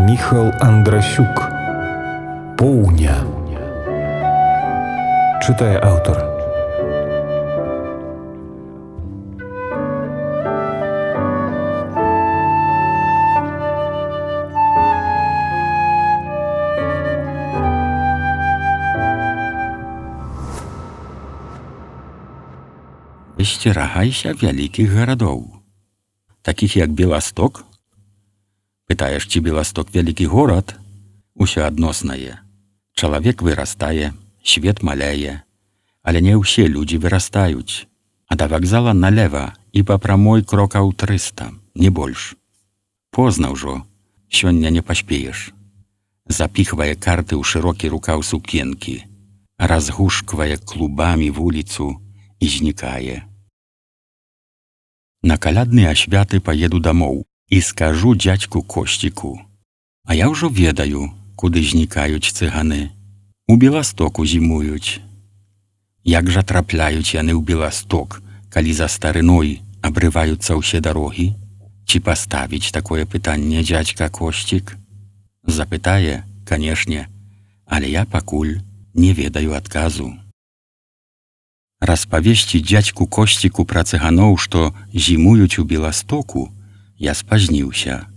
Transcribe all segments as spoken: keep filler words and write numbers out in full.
Міхал Андрасюк. Поўня. Чытае аўтар. Высцерагайся вялікіх гарадоў, такіх як Беласток. Пытаеш, ці Беласток вялікі горад? Усё адноснае. Чалавек вырастае, свет маляе, але не ўсе людзі вырастаюць. А да вакзала налева і па прамой крокаў трыста, не больш. Позна ўжо, сёння не паспееш. Запіхвае карты ў шырокі рукаў сукенкі, разгушквае клубамі вуліцу і знікае. На калядныя святы паеду дамоў і скажу дзядзьку Косціку. А я ўжо ведаю, куды знікаюць цыганы. У Беластоку зімуюць. Як жа трапляюць яны ў Беласток, калі за старыной абрываюцца ўсе дарогі? Ці паставіць такое пытанне дзядзька Косцік? Запытае, канешне, але я пакуль не ведаю адказу. Распавесці дзядзьку Косціку пра цыганоў, што зімуюць у Беластоку, я спазніўся.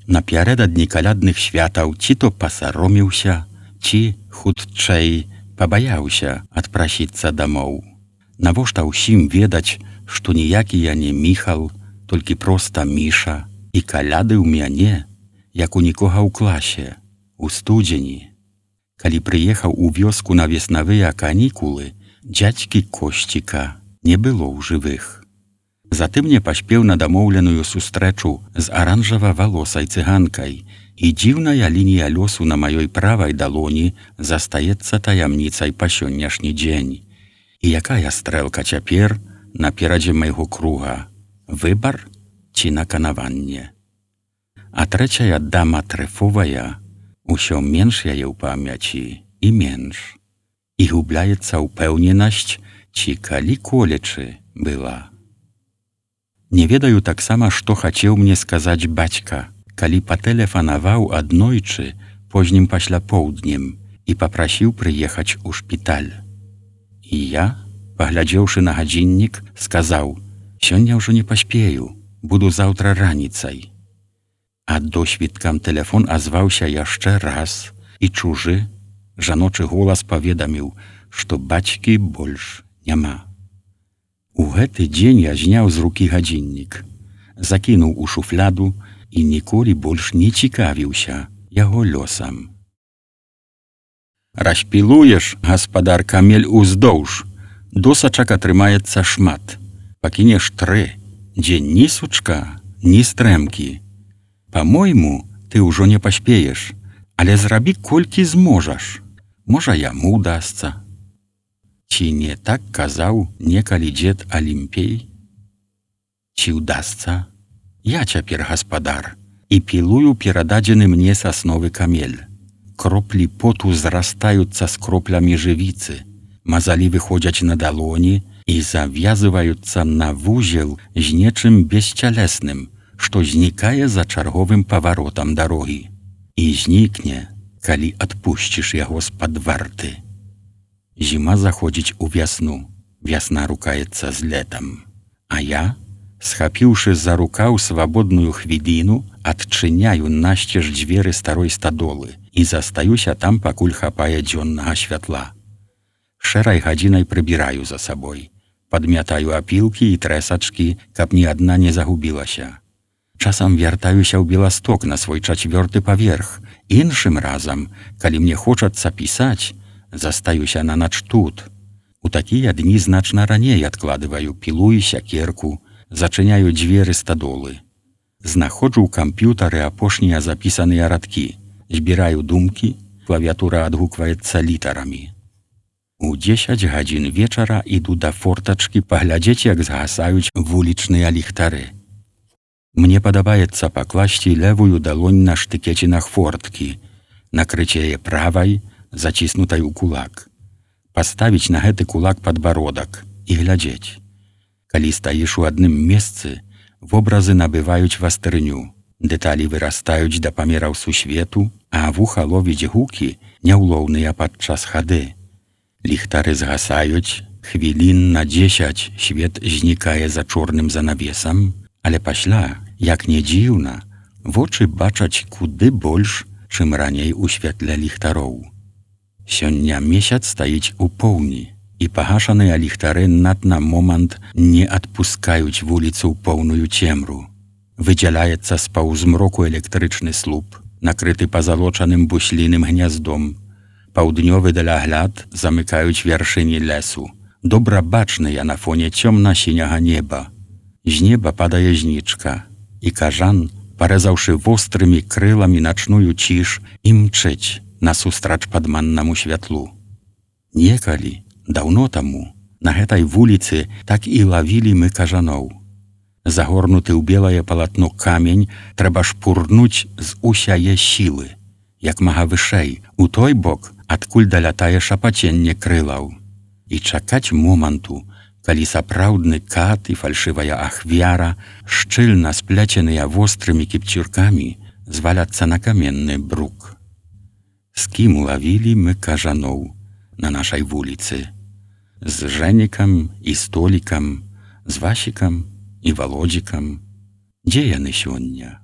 Напярэдадні калядных святаў ці то пасароміўся, ці, хутчэй, пабаяўся адпрасіцца дамоў. Навошта ўсім ведаць, што ніякі я не Міхал, толькі проста Міша, і каляды ў мяне, як у нікога ў класе, у студзені. Калі прыехаў у вёску на веснавыя канікулы, дзядзькі Косціка не было ў жывых. Затым не паспеў на дамоўленую сустрэчу з аранжава-валосай цыганкай, і дзіўная лінія лёсу на маёй правай далоні застаецца таямніцай па сённяшні дзень. І якая стрэлка цяпер наперадзе майго круга? Выбар ці наканаванне? А трэцяя дама трэфовая, усё менш яе ў памяці і менш. І губляецца ўпэўненасць, ці калі колечы была. Не ведаю таксама, што хацеў мне сказаць бацька, калі патэлефанаваў аднойчы познім пасля поўднем і папрасіў прыехаць у шпіталь. І я, паглядзеўшы на гадзіннік, сказаў: «Сёння ўжо не паспею, буду заўтра раніцай». А досвідкам тэлефон азваўся яшчэ раз, і чужы, жаночы голас паведаміў, што бацькі больш няма. У гэты дзень я зняў з рукі гадзіннік, закінуў у шуфляду і ніколі больш не цікавіўся яго лёсам. Распілуеш, гаспадар, камель уздоўж, досачак атрымаецца шмат. Пакінеш тры, дзе ні сучка, ні стрэмкі. Па-мойму, ты ўжо не паспееш, але зрабі колькі зможаш. Можа, яму ўдасца. Ці не так казаў некалі дзед Алімпей? Ці ўдасца? Я цяпер гаспадар і пілую перададзены мне сасновы камель. Кроплі поту зрастаюцца з кроплямі жывіцы, мазалі выходзяць на далоні і завязываюцца на вузел з нечым бесцялесным, што знікае за чарговым паваротам дарогі. І знікне, калі адпусціш яго з-пад варты. Зіма заходзіць у вясну, вясна рукаецца з летам. А я, схапіўшы за рукаў свабодную хвіліну, адчыняю насцеж дзверы старой стадолы і застаюся там, пакуль хапае дзённага святла. Шэрай гадзінай прыбіраю за сабой, падмятаю апілкі і трэсачкі, каб ні адна не загубілася. Часам вяртаюся ў Беласток на свой чацвёрты паверх. Іншым разам, калі мне хочацца пісаць, застаюся на нач тут. У такія дні значна раней адкладываю пілу і сякерку, зачыняю дзверы стадолы. Знаходжу ў камп'ютары апошнія запісаныя радкі, збіраю думкі, клавіатура адгукваецца літарамі. У дзесяць гадзін вечара іду да фортачкі паглядзець, як згасаюць вулічныя ліхтары. Мне падабаецца пакласці левую далонь на штыкецінах форткі, накрыць яе правай, заціснутай у кулак, паставіць на гэты кулак падбародак і глядзець. Калі стаіш у адным месцы, вобразы набываюць вастрыню, Дэталі вырастаюць да памераў сусвету, а вуха ловіць гукі, няўлоўныя падчас хады. Ліхтары згасаюць, хвілін на дзесяць свет знікае за чорным занавесам, але пасля, як не дзіўна, вочы бачаць куды больш, чым раней у святле ліхтароў. Сёння месяц стаіць у поўні, і пагашаныя ліхтары над на момант не адпускаюць вуліцу ў поўную цемру. Выдзяляецца з паўзмроку электрычны слуп, накрыты пазалочаным бусліным гняздом. Паўднёвы далягляд замыкаюць вяршыні лесу, добра бачныя на фоне цёмна-сіняга неба. З неба падае знічка, і кажан, парэзаўшы вострымі крыламі начную ціш, імчыць насустрач падманнаму святлу. Некалі, даўно таму, на гэтай вуліцы так і лавілі мы кажаноў. Загорнуты ў белае палатно камень трэба шпурнуць з усяе сілы, як мага вышэй, у той бок, адкуль далятае шапаценне крылаў. І чакаць моманту, калі сапраўдны кат і фальшывая ахвяра, шчыльна спляценыя вострымі кіпцюркамі, зваляцца на каменны брук. З кім лавілі мы кажаноў на нашай вуліцы? З Жэнікам і Столікам, з Васікам і Володзікам. Дзе яны сёння?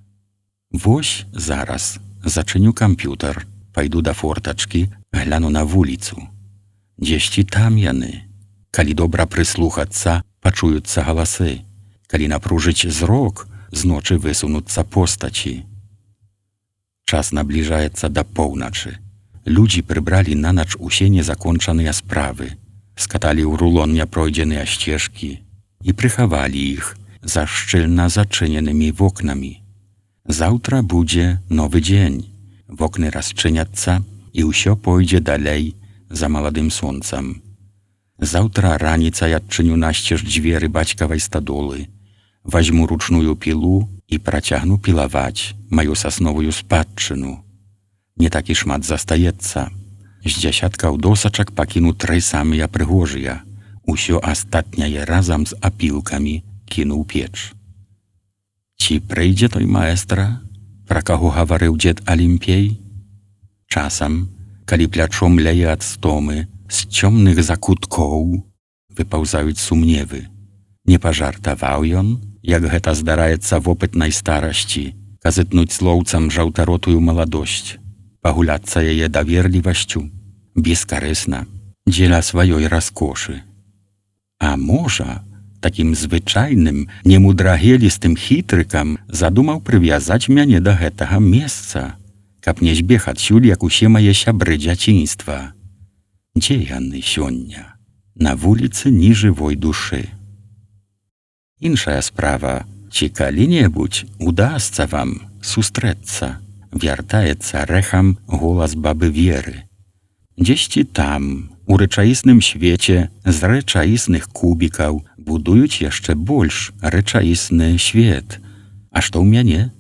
Вось зараз зачыню камп'ютар, пайду да фортачкі, гляну на вуліцу. Дзесьці там яны. Калі добра прыслухацца, пачуюцца галасы. Калі напружыць зрок, з ночы высунуцца постачі. Час набліжаецца да поўначы. Людзі прыбралі на ноч усе незакончаныя справы, скаталі ў рулон няпройдзеныя сцежкі і прыхавалі іх за шчыльна зачыненымі вокнамі. Заўтра будзе новы дзень. Вокны расчыняцца, і ўсё пойдзе далей за маладым сонцам. Заўтра раніцай адчыню насцеж дзверы бацькавай стадолы, вазьму ручную пілу і працягну пілаваць маю сасновую спадчыну. Не так і шмат застаецца. З дзясяткаў досачак пакіну тры самыя прыгожыя. Усё астатняе разам з апілкамі кіну ў печ. Ці прыйдзе той маэстра, пра каго гаварыў дзед Алімпей? Часам, калі плячом ляе ад стомы, з цёмных закуткоў выпаўзаюць сумневы. Не пажартаваў ён, як гэта здараецца вопытнай старасці, казытнуць слоўцам жаўтаротую маладосць, пагуляцца яе даверлівасцю, бескарысна, дзеля сваёй раскошы. А можа, такім звычайным, немудрагелістым хітрыкам задумаў прывязаць мяне да гэтага месца, каб не збег адсюль, як усе мае сябры дзяцінства. Дзе яны сёння? На вуліцы ні жывой душы. Іншая справа, ці калі-небудзь удасца вам сустрэцца, вяртаецца рэхам голас бабы Веры. Дзесьці там, у рэчаісным свеце з рэчаісных кубікаў будуюць яшчэ больш рэчаісны свет. А што ў мяне?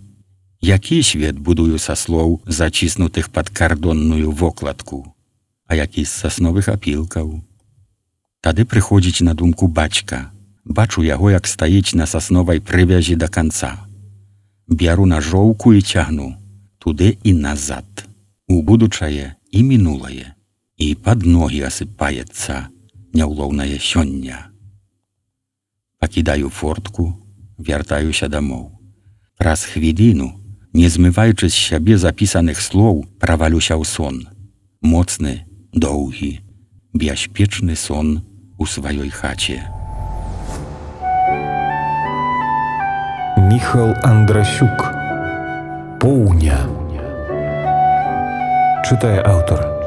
Які свет будую са слоў, заціснутых пад кардонную вокладку? А які з сасновых апілкаў? Тады прыходзіць на думку бацька. Бачу яго, як стаіць на сасновай прывязі да канца. Бяру нажоўку і цягну туды і назад, у будучае і мінулае, і пад ногі асыпаецца няўлоўнае сёння. Пакідаю фортку, вяртаюся дамоў. Праз хвіліну, не змываючы з сябе запісаных слоў, правалюся ў сон. Моцны, доўгі, бяспечны сон у сваёй хаце. Міхал Андрасюк. Поўня. Чытае аўтар.